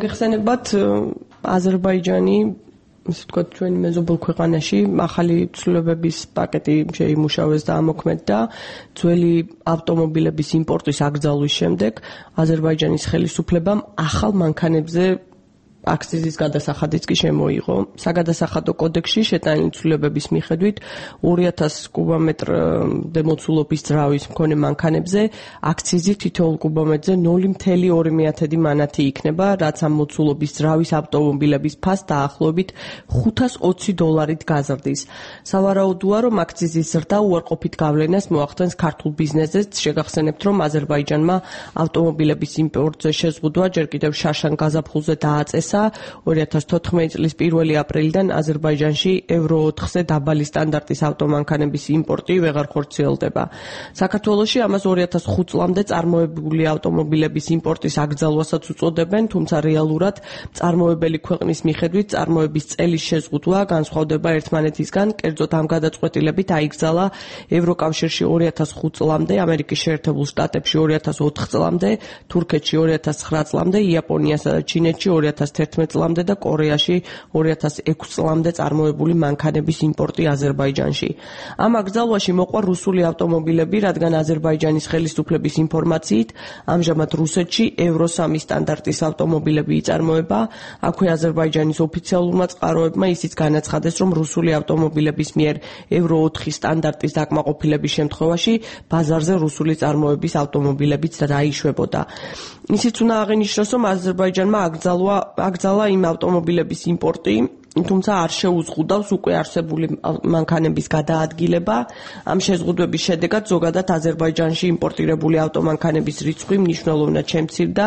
გეხსენებათ აზერბაიჯანი ისე ვთქვათ ჩვენი მეზობელ ქვეყანაში ახალი ცვლილებების პაკეტი შეიმუშავეს და ამოქმედდა ძველი ავტომობილების იმპორტის აკრძალვის შემდეგ აზერბაიჯანის ხელისუფლებამ ახალ მანქანებზე აქციზის გადასახადიც კი შემოიღო. საგადასახადო კოდექსში შეტანილი ცვლილებების მიხედვით 2000 კუბომეტრ მოცულობის ძრავის მქონე მანქანებზე აქციზი თითოეულ კუბომეტრზე 0.2 მანათი იქნება, რაც ამ მოცულობის ძრავის ავტომობილების ფასს დაახლოებით $520 გაზრდის. სავარაუდოა, რომ აქციზის ზრდა უარყოფით გავლენას მოახდენს ქართულ ბიზნესზეც. შეგახსენებთ, რომ აზერბაიჯანმა ავტომობილების იმპორტზე შეზღუდვა ჯერ კიდევ შაშან გაზაფხულზე დააწესა. 2014 წლის 1 აპრილიდან აზერბაიჯანში ევრო 4-ზე დაბალი სტანდარტის ავტომანქანების იმპორტი ვეღარ ხორციელდება. საქართველოში ამას 2005 წლამდე წარმოებული ავტომობილების იმპორტის აკრძალვასაც უწოდებენ, თუმცა რეალურად წარმოებელი ქვეყნის მიხედვით წარმოების წელის შეზღუდვა განსხვავდება ერთმანეთისგან. კერძოდ ამ გადაწყვეტილებით აიკრძალა ევროკავშირში 2005 წლამდე, ამერიკის შეერთებულ შტატებში 2004 წლამდე, თურქეთში 2009 წლამდე, იაპონიასა და ჩინეთში 2011 წლამდე და კორეაში 2006 წლამდე წარმოებული მანქანების იმპორტი აზერბაიჯანში. ამ აკრძალვაში მოყვა რუსული ავტომობილები, რადგან აზერბაიჯანის ხელისუფლების ინფორმაციით ამჟამად რუსეთში ევრო 3 სტანდარტის ავტომობილები იწარმოება. აქვე აზერბაიჯანის ოფიციალურმა წყაროებმა ისიც განაცხადეს, რომ რუსული ავტომობილების მიერ ევრო 4 სტანდარტის დაკმაყოფილების შემთხვევაში ბაზარზე რუსული წარმოების ავტომობილებიც დაიშვებოდა. ისიც უნდა აღინიშნოს, რომ აზერბაიჯანმა აკრძალა იმ ავტომობილების იმპორტი, თუმცა არ შეუზღუდავს უკვე არსებული მანქანების გადაადგილება. ამ შეზღუდვების შედეგად ზოგადად აზერბაიჯანში იმპორტირებული ავტომანქანების რიცხვი მნიშვნელოვნად შემცირდა.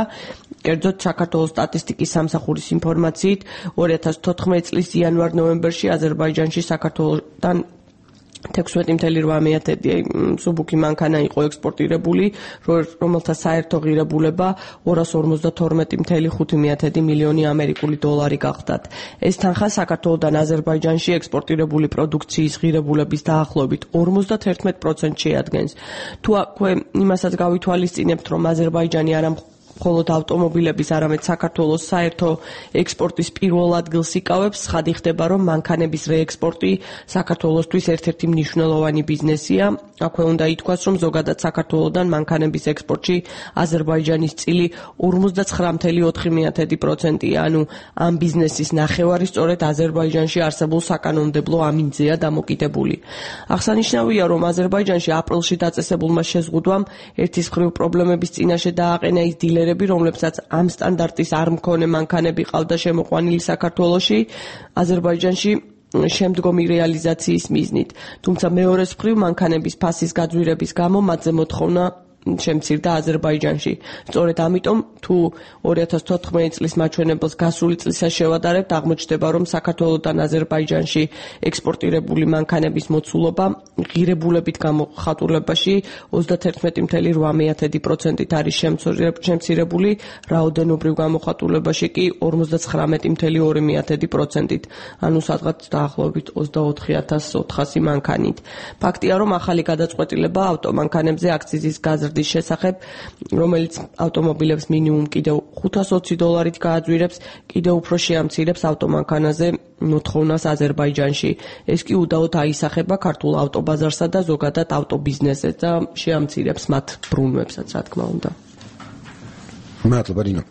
კერძოდ საქართველოს სტატისტიკის სამსახურის ინფორმაციით 2014 წლის იანვარ-ნოემბერში აზერბაიჯანში საქართველოსთან 16.8 სუბუქი მანქანა იყო ექსპორტირებული, რომელთა საერთო ღირებულება 252.5 მილიონი ამერიკული დოლარი გახდათ. ეს თანხა საქართველოსთან აზერბაიჯანში ექსპორტირებული პროდუქციის ღირებულების დაახლოებით 51% შეადგენს. თუ აქვე იმასაც გავითვალისწინებთ, რომ აზერბაიჯანი არა მხოლოდ ავტომობილების, არამედ საქართველოს საერთო ექსპორტის პირველ ადგილს იკავებს, ხადი ხდება, რომ მანქანების რეექსპორტი საქართველოსთვის ერთ-ერთი მნიშვნელოვანი ბიზნესია. აქვე უნდა ითქვას, რომ ზოგადად საქართველოსთან მანქანების ექსპორტში აზერბაიჯანის წილი 59.4%-ია, ანუ ამ ბიზნესის ნახევარი სწორედ აზერბაიჯანში არსებულ საკანონმდებლო ამინდზეა დამოკიდებული. აღსანიშნავია, რომ აზერბაიჯანში აპრილში დაწესებულმა შეზღუდვამ ერთის მხრივ პრობლემების წინაშე დააყენა ის დილერები, რომლებსაც ამ სტანდარტის არ მქონე მანქანები ყავდა შემოყვანილი საქართველოში, აზერბაიჯანში შემდგომი რეალიზაციის მიზნით. თუმცა მეორეს მხრივ მანქანების ფასის გაძვირების გამო მათზე მოთხოვნა შემცირდა აზერბაიჯანში. სწორედ ამიტომ, თუ 2014 წლის მაჩვენებელს გასული წლისას შევადარებთ, აღმოჩნდება, რომ საქართველოსთან აზერბაიჯანში ექსპორტირებული მანქანების მოცულობა ღირებულებით გამოხატულებაში 31.8%-ით არის შემცირებული, რაოდენობრივ გამოხატულებაში კი 59.2%-ით, ანუ სადღაც დაახლოებით 24,400 მანქანით. ფაქტია, რომ ახალი გადაწყვეტილება ავტომანქანებზე აქციზის გაზრდის შესახებ, რომელიც ავტომობილებს მინიმუმ კიდევ $520 გააძვირებს, კიდევ უფრო შეამცირებს ავტომანქანაზე მოთხოვნას აზერბაიჯანში. ეს კი უდაოდ აისახება ქართულ ავტობაზარსა და ზოგადად ავტობიზნესზე და შეამცირებს მათ ბრუნვებსაც, რა თქმა უნდა. მადლობა, რინო.